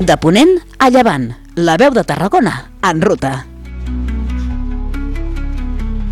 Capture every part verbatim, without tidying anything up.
De Ponent a Llevant, la veu de Tarragona en ruta.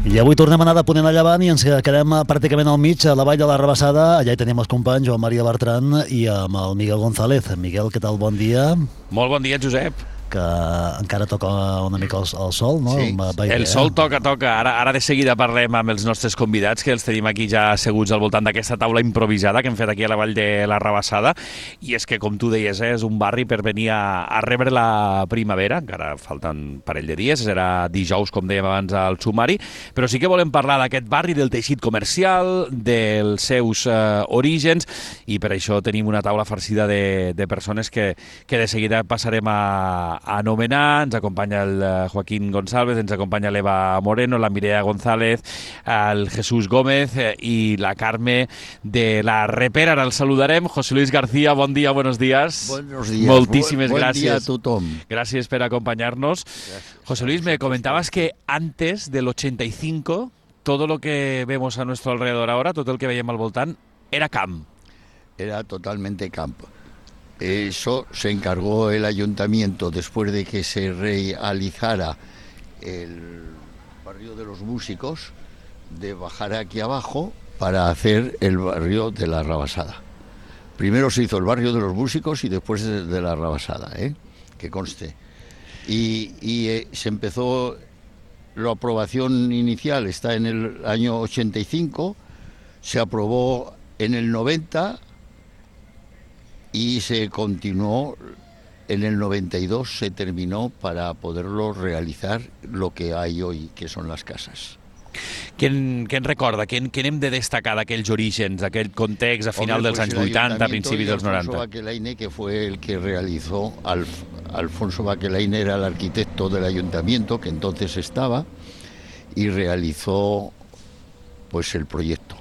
I avui tornem a anar de Ponent a Llevant i ens quedem pràcticament al mig, a la vall de la Rabassada. Allà hi tenim els companys Joan Maria Bertran i amb el Miguel González. Miguel, què tal? Bon dia. Molt bon dia, Josep. Que encara toca una mica el, el sol, no? Sí, el sol toca, toca. Ara, ara de seguida parlem amb els nostres convidats, que els tenim aquí ja asseguts al voltant d'aquesta taula improvisada que hem fet aquí a la vall de la Rabassada. I és que, com tu deies, eh, és un barri per venir a, a rebre la primavera. Encara falten un parell de dies, serà dijous, com dèiem abans, al sumari. Però sí que volem parlar d'aquest barri, del teixit comercial, dels seus eh, orígens, i per això tenim una taula farcida de, de persones que, que de seguida passarem a a anomenar. Ens acompanya el Joaquín González, ens acompanya l'Eva Moreno, la Mireia González, el Jesús Gómez i la Carme de la Repera. Ara el saludarem. José Luis García, bon dia, buenos días. Buenos días. Moltíssimes buen, buen gràcies. Día a tothom. Gracias por acompañarnos. Gracias. José Luis, me comentabas que antes del ochenta y cinco, todo lo que vemos a nuestro alrededor ahora, todo el que veiem al voltant, era camp. Era totalmente camp. Eso se encargó el ayuntamiento después de que se realizara el barrio de los músicos, de bajar aquí abajo para hacer el barrio de la Rabassada. Primero se hizo el barrio de los músicos y después de, de la Rabassada, ¿eh? Que conste. Y, y eh, se empezó, la aprobación inicial está en el año ochenta y cinco, se aprobó en el noventa y se continuó en el noventa y dos, se terminó para poderlo realizar lo que hay hoy, que son las casas. Què en, què en recorda? Què en, què n'hem de destacar d'aquells orígens, d'aquell context a final Hombre, dels pues anys vuitanta, principis dels Alfonso noranta? Baquelaine, que fue el que realizó, Alf, Alfonso Baquelaine era el arquitecto del ayuntamiento, que entonces estaba, y realizó pues el proyecto.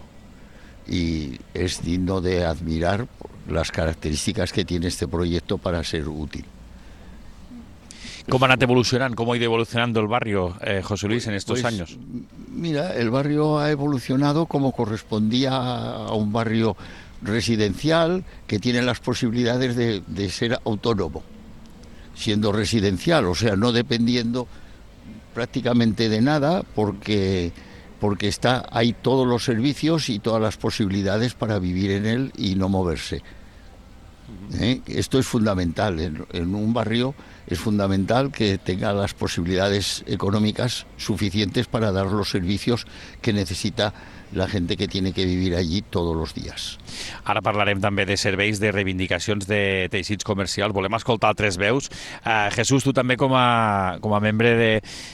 Y es digno de admirar las características que tiene este proyecto para ser útil. ¿Cómo ha anat evolucionant? ¿Cómo ha ido evolucionando el barrio, eh, José Luis, en estos pues, años? Mira, el barrio ha evolucionado como correspondía a un barrio residencial que tiene las posibilidades de, de ser autónomo, siendo residencial, o sea, no dependiendo prácticamente de nada, porque, porque está, hay todos los servicios y todas las posibilidades para vivir en él y no moverse. ¿Eh? Esto es fundamental. En, en un barrio es fundamental que tenga las posibilidades económicas suficientes para dar los servicios que necesita la gente que tiene que vivir allí todos los días. Ara parlarem també de serveis, de reivindicacions de teixits comercials. Volem escoltar altres veus. Uh, Jesús, tu també com a, com a membre de,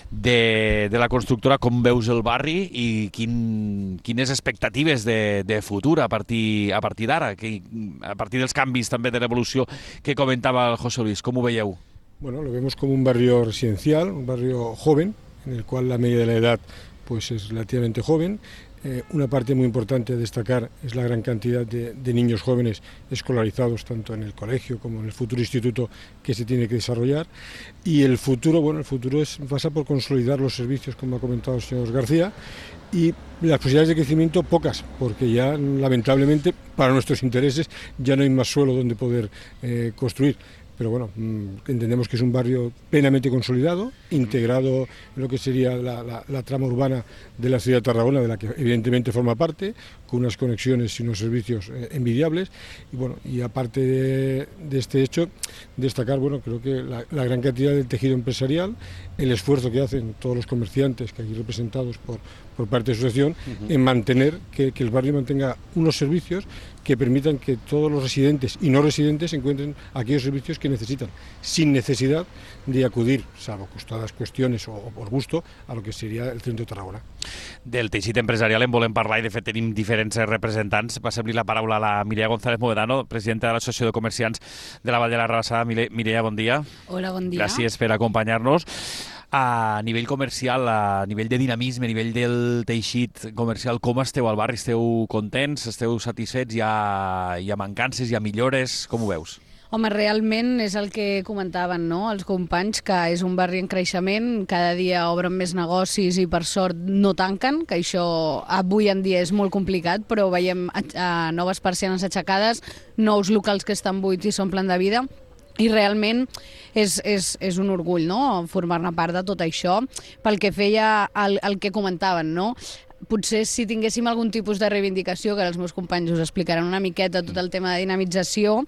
de, de la constructora, com veus el barri i quin, quines expectatives de, de futur a partir, a partir d'ara, a partir dels canvis també de l'evolució que comentava el José Luis? Com ho veieu? Bueno, lo vemos como un barrio residencial, un barrio joven, en el cual la media de la edad pues es relativamente joven. Eh, una parte muy importante a destacar es la gran cantidad de, de niños jóvenes escolarizados tanto en el colegio como en el futuro instituto que se tiene que desarrollar. Y el futuro, bueno, el futuro es, pasa por consolidar los servicios, como ha comentado el señor García, y las posibilidades de crecimiento pocas, porque ya lamentablemente para nuestros intereses ya no hay más suelo donde poder eh, construir. Pero bueno, entendemos que es un barrio plenamente consolidado, integrado en lo que sería la, la, la trama urbana de la ciudad de Tarragona, de la que evidentemente forma parte, con unas conexiones y unos servicios eh, envidiables. Y bueno, y aparte de, de este hecho, destacar, bueno, creo que la, la gran cantidad del tejido empresarial, el esfuerzo que hacen todos los comerciantes, que aquí representados por, por parte de su asociación, uh-huh. en mantener, que, que el barrio mantenga unos servicios que permitan que todos los residentes y no residentes encuentren aquellos servicios que necesitan, sin necesidad de acudir, salvo costadas cuestiones o, o por gusto, a lo que sería el centro de Tarragona. Del teixit empresarial en volem parlar i de fet tenim diferents representants. Passem-li la paraula a la Mireia González Moedano, presidenta de l'Associació de Comerciants de la Vall de la Rabassada. Mireia, bon dia. Hola, bon dia. Gràcies per acompanyar-nos. A nivell comercial, a nivell de dinamisme, a nivell del teixit comercial, com esteu al barri? Esteu contents? Esteu satisfets? Hi ha, hi ha mancances? Hi ha millores? Com ho veus? Home, realment és el que comentaven, no?, els companys, que és un barri en creixement, cada dia obren més negocis i per sort no tanquen, que això avui en dia és molt complicat, però veiem a, a noves persianes aixecades, nous locals que estan buits i s'omplen de vida. i realment és, és, és un orgull, no?, formar-ne part de tot això. Pel que feia el, el que comentaven, no?, potser si tinguéssim algun tipus de reivindicació, que els meus companys us explicaran una miqueta tot el tema de dinamització,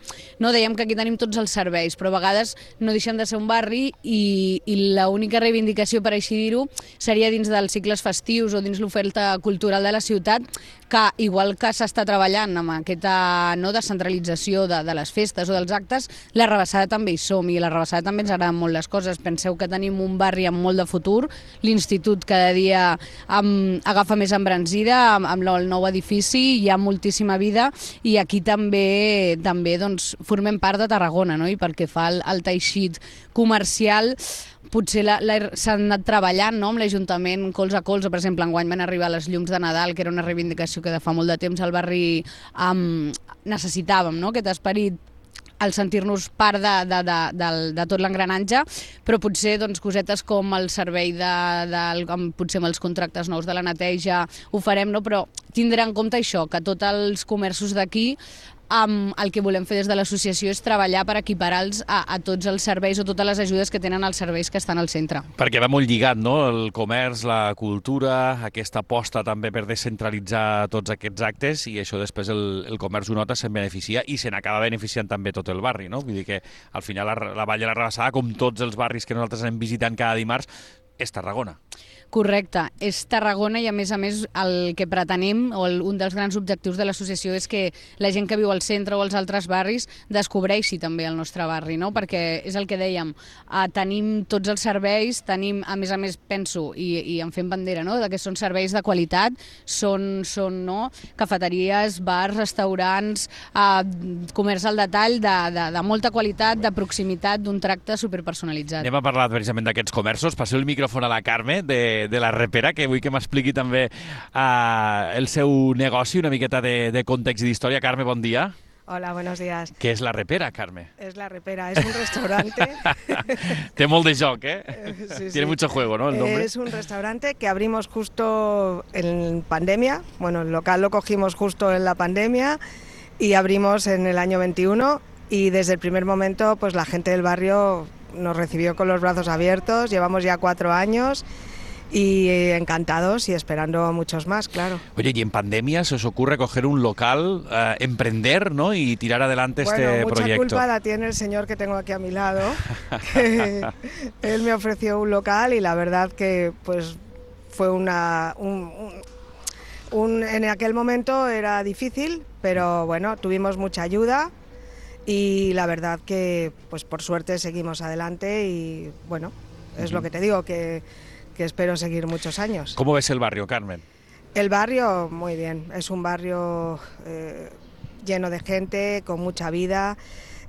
no, dèiem que aquí tenim tots els serveis, però a vegades no deixen de ser un barri i, i l'única reivindicació, per així dir-ho, seria dins dels cicles festius o dins l'oferta cultural de la ciutat, que igual que s'està treballant amb aquesta no, descentralització de, de les festes o dels actes, la Rabassada també hi som i la Rabassada també ens agraden molt les coses. Penseu que tenim un barri amb molt de futur, l'institut cada dia amb, agafa més embranzida, amb, amb el nou edifici hi ha moltíssima vida i aquí també també doncs, formem part de Tarragona, no? I pel que fa al, al teixit comercial, potser s'han anat treballant, no?, amb l'Ajuntament colze a colze. Per exemple, enguany van arribar les llums de Nadal, que era una reivindicació que de fa molt de temps al barri um, necessitàvem, no?, aquest esperit, al sentir-nos part de, de, de, de, de tot l'engranatge, però potser doncs, cosetes com el servei de, de, amb, potser amb els contractes nous de la neteja ho farem, no? Però tindrà en compte això, que tots els comerços d'aquí Um, el que volem fer des de l'associació és treballar per equiparar-los a, a tots els serveis o totes les ajudes que tenen els serveis que estan al centre. Perquè va molt lligat, no?, el comerç, la cultura, aquesta aposta també per descentralitzar tots aquests actes i això després el, el comerç ho nota, se'n beneficia i se n'acaba beneficiant també tot el barri, no? Vull dir que al final la, la Vall de la Rabassada, com tots els barris que nosaltres anem visitant cada dimarts, és Tarragona. Correcte, és Tarragona i a més a més el que pretenem, o el, un dels grans objectius de l'associació és que la gent que viu al centre o als altres barris descobreixi també el nostre barri, no? Perquè és el que dèiem, eh, tenim tots els serveis, tenim, a més a més, penso, i, i en fem bandera, no?, que són serveis de qualitat, són, són no? cafeteries, bars, restaurants, eh, comerç al detall, de, de, de molta qualitat, de proximitat, d'un tracte superpersonalitzat. Anem a parlar precisament d'aquests comerços. Passeu el micròfon a la Carme, de de la Repera, que vull que m'expliqui també uh, el seu negoci, una miqueta de, de context i d'història. Carme, bon dia. Hola, buenos días. ¿Qué es la Repera, Carme? Es la Repera, es un restaurante. Té molt de joc, ¿eh? Sí, Tiene sí. mucho juego, ¿no? El nombre. Es un restaurante que abrimos justo en pandemia. Bueno, el local lo cogimos justo en la pandemia y abrimos en el año veintiuno y desde el primer momento pues la gente del barrio nos recibió con los brazos abiertos. Llevamos ya cuatro años. Y encantados y esperando muchos más, claro. Oye, y en pandemia se os ocurre coger un local, uh, emprender, ¿no?, y tirar adelante bueno, este mucha proyecto. Mucha culpa la tiene el señor que tengo aquí a mi lado, que él me ofreció un local y la verdad que pues fue una... Un, un, un, en aquel momento era difícil, pero bueno, tuvimos mucha ayuda y la verdad que pues por suerte seguimos adelante y bueno, es uh-huh. lo que te digo, que... que espero seguir muchos años. ¿Cómo ves el barrio, Carmen? El barrio, muy bien. Es un barrio eh, lleno de gente, con mucha vida.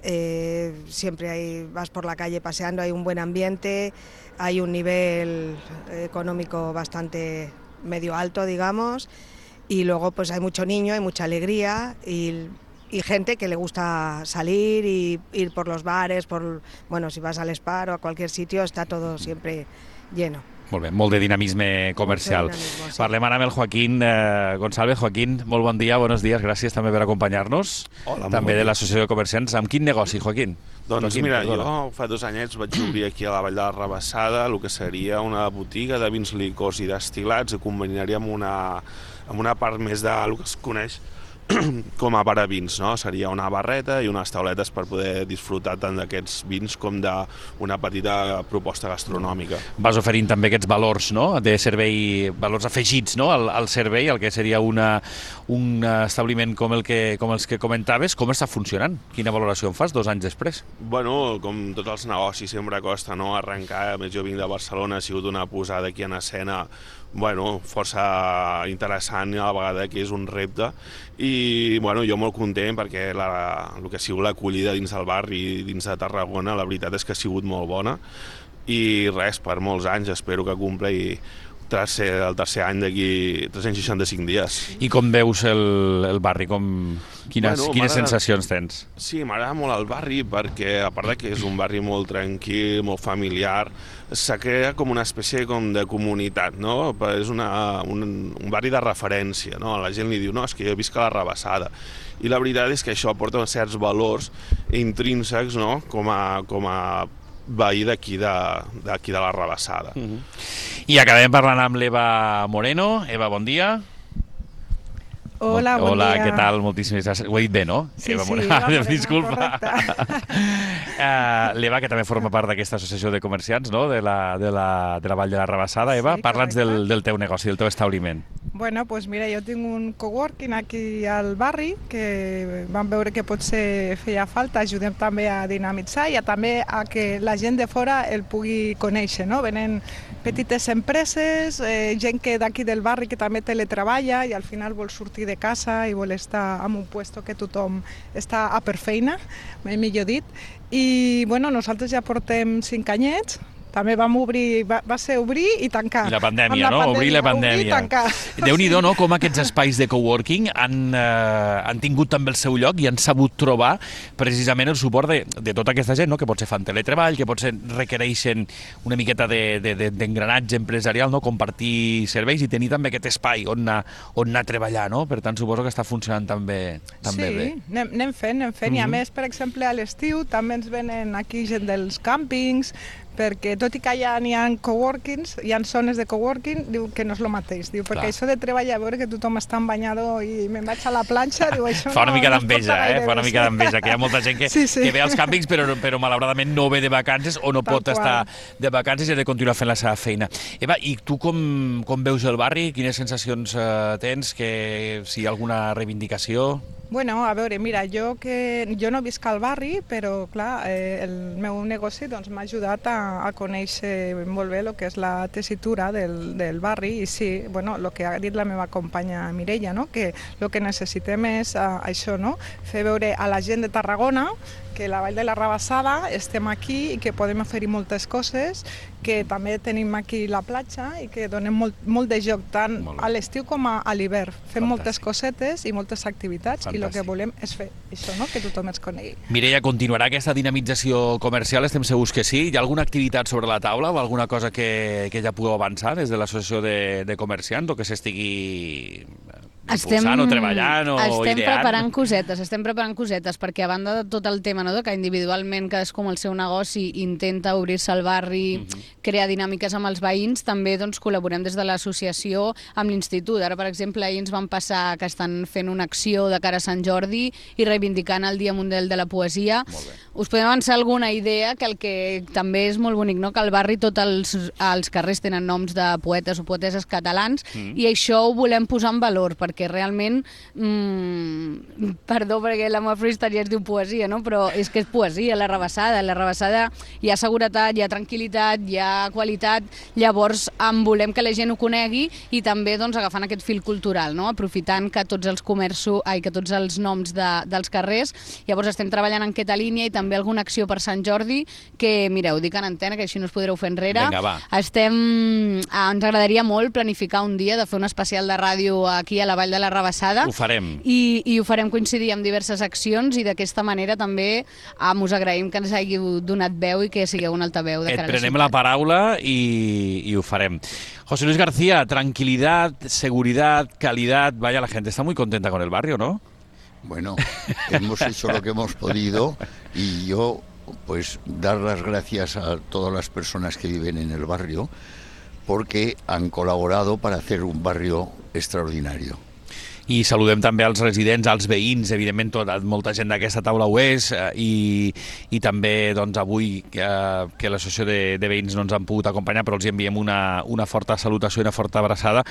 Eh, siempre hay, vas por la calle paseando, hay un buen ambiente, hay un nivel económico bastante medio alto, digamos. Y luego pues hay mucho niño, hay mucha alegría y... y gente que le gusta salir y ir por los bares, por bueno, si vas al Spar o a cualquier sitio, está todo siempre lleno. Molt bé, molt de dinamisme comercial. Dinamismo, sí. Parlem ara amb el Joaquín eh, González. Joaquín, molt bon dia, buenos días, gràcies també per acompanyar-nos. Hola, també bon de l'Associació de Comerciants. Amb quin negoci, Joaquín? Doncs Joaquín, mira, perdona. jo fa dos anyets vaig obrir aquí a la Vall de la Rabassada el que seria una botiga de vins, licors i destil·lats, que combinaria amb una, amb una part més de el que es coneix com a bar a vins, no? Seria una barreta i unes tauletes per poder disfrutar tant d'aquests vins com d'una petita proposta gastronòmica. Vas oferint també aquests valors, no?, de servei, valors afegits, no?, al, al servei, el que seria una, un establiment com, el que, com els que comentaves. Com està funcionant? Quina valoració en fas dos anys després? Bueno, com tots els negocis sempre costa, no?, arrencar. A més, jo vinc de Barcelona, ha sigut una posada aquí en escena bueno, força interessant a la vegada, que és un repte, i bueno, jo molt content perquè la, el que ha sigut l'acollida dins del barri, dins de Tarragona, la veritat és que ha sigut molt bona i res, per molts anys espero que compli tercer, el tercer any d'aquí tres-cents seixanta-cinc dies. I com veus el, el barri? Com, quines Bueno, quines m'agrada- sensacions tens? Sí, m'agrada molt el barri perquè, a part de que és un barri molt tranquil, molt familiar, s'ha creat com una espècie com de comunitat, no? És una, un, un barri de referència, no? La gent li diu, no, és que jo visc a la Rabassada. I la veritat és que això aporta certs valors intrínsecs, no? Com a, com a veí d'aquí de, d'aquí de la Rabassada. Mm -hmm. I acabem parlant amb l'Eva Moreno. Eva, bon dia. Hola, bon Hola, dia. què tal? Moltíssimes gràcies. Ho he dit bé, no? Sí, Eva sí, Moreno. Eva Moreno, Disculpa. uh, L'Eva, que també forma part d'aquesta associació de comerciants, no?, de la, de la, de la Vall de la Rabassada. Eva, Sí, parla'ns correcte. del, del teu negoci, del teu establiment. Bueno, pues mira, jo tinc un coworking aquí al barri que vam veure que potser feia falta, ajudem també a dinamitzar i a també a que la gent de fora el pugui conèixer, no? Venen petites empreses, eh, gent que d'aquí del barri que també teletreballa i al final vol sortir de casa i vol estar en un puesto que tothom està a per feina, mai millor dit. I bueno, nosaltres ja portem cinc anyets, també vam obrir, va, va ser obrir i tancar. I la pandèmia, Amb la no? pandèmia, Obrir la pandèmia. Obrir i tancar. Déu-n'hi-do, no?, com aquests espais de coworking han, eh, han tingut també el seu lloc i han sabut trobar precisament el suport de, de tota aquesta gent, no?, que potser fan teletreball, que potser requereixen una miqueta de, de, de, d'engranatge empresarial, no?, compartir serveis i tenir també aquest espai on anar, on anar a treballar, no? Per tant, suposo que està funcionant també, també sí, bé. anem, anem fent, anem fent. Mm -hmm. I a Mhm. més, per exemple, a l'estiu també ens venen aquí gent dels càmpings, perquè tot i que ja n'hi ha coworkings, hi ha zones de coworking, diu que no és el mateix. Diu, perquè Clar. això de treballar, a veure que tothom està en banyador i me'n vaig a la planxa, diu, això Fa una no, mica no es porta d'enveja, eh? gaire Fa una bé, mica sí. d'enveja, que hi ha molta gent que, Sí, sí. que ve als càmpings però, però malauradament no ve de vacances o no Tal pot qual. estar de vacances i ha de continuar fent la seva feina. Eva, i tu com, com veus el barri? Quines sensacions eh, tens? Que, si hi ha alguna reivindicació? Bueno, a veure, mira, jo que jo no visc al barri, però clar, eh, el meu negoci doncs, m'ha ajudat a, a conèixer molt bé el que és la tessitura del, del barri i sí, bueno, el que ha dit la meva companya Mireia, no? Que el que necessitem és uh, això, no? Fer veure a la gent de Tarragona que la Vall de la Rabassada estem aquí i que podem oferir moltes coses, que també tenim aquí la platja i que donem molt, molt de joc tant Molt bé. a l'estiu com a, a l'hivern. Fem Fantàstic. moltes cosetes i moltes activitats i el que Fantàstic. volem és fer això, no? Que tothom ens conegui. Mireia, continuarà aquesta dinamització comercial? Estem segurs que sí. Hi ha alguna activitat sobre la taula o alguna cosa que, que ja pugueu avançar des de l'associació de, de comerciants o que s'estigui impulsant o treballant o estem ideant? preparant cosetes, estem preparant cosetes, perquè a banda de tot el tema, no?, de que individualment cadascú amb el seu negoci intenta obrir-se al barri, Mhm. crear dinàmiques amb els veïns, també doncs, col·laborem des de l'associació amb l'institut. Ara, per exemple, ahir ens van passar que estan fent una acció de cara a Sant Jordi i reivindicant el Dia Mundial de la Poesia. Molt bé. Us podem avançar alguna idea, que el que també és molt bonic, no?, que al barri tots els, els carrers tenen noms de poetes o poeteses catalans, Mm. i això ho volem posar en valor, perquè realment, mm, perdó perquè la meva freestyle ja es diu poesia, no?, però és que és poesia, la Rabassada. La Rabassada hi ha seguretat, hi ha tranquil·litat, hi ha qualitat, llavors en volem que la gent ho conegui i també doncs, agafant aquest fil cultural, no?, aprofitant que tots els comerços, ai, que tots els noms de, dels carrers, llavors estem treballant en aquesta línia i també alguna acció per Sant Jordi, que mireu, dic en antena, que així no us podreu fer enrere. Vinga, va. Estem, ah, ens agradaria molt planificar un dia de fer un especial de ràdio aquí a la Vall de la Rabassada. Ho farem. I, i ho farem coincidir amb diverses accions i d'aquesta manera també ah, us agraïm que ens hàgiu donat veu i que sigueu un altaveu de Et cara a la prenem ciutat. la paraula i, y ho farem. José Luis García, tranquilidad, seguridad, calidad. Vaya, la gente está muy contenta con el barrio, ¿no? Bueno, hemos hecho lo que hemos podido y yo, pues, dar las gracias a todas las personas que viven en el barrio porque han colaborado para hacer un barrio extraordinario. I saludem també als residents, als veïns, evidentment tot, molta gent d'aquesta taula ho és, eh, i, i també doncs, avui eh, que l'associació de, de veïns no ens han pogut acompanyar, però els enviem una, una forta salutació i una forta abraçada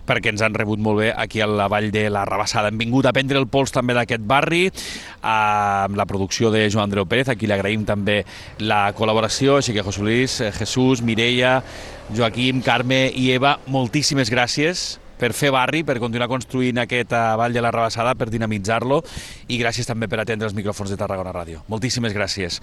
perquè ens han rebut molt bé aquí a la Vall de la Rabassada. Hem vingut a prendre el pols també d'aquest barri, amb la producció de Joan Andreu Pérez, a qui li agraïm també la col·laboració, així que José Luis, eh, Jesús, Mireia, Joaquim, Carme i Eva, moltíssimes gràcies per fer barri, per continuar construint aquesta Vall de la Rabassada, per dinamitzar-lo, i gràcies també per atendre els micròfons de Tarragona Ràdio. Moltíssimes gràcies.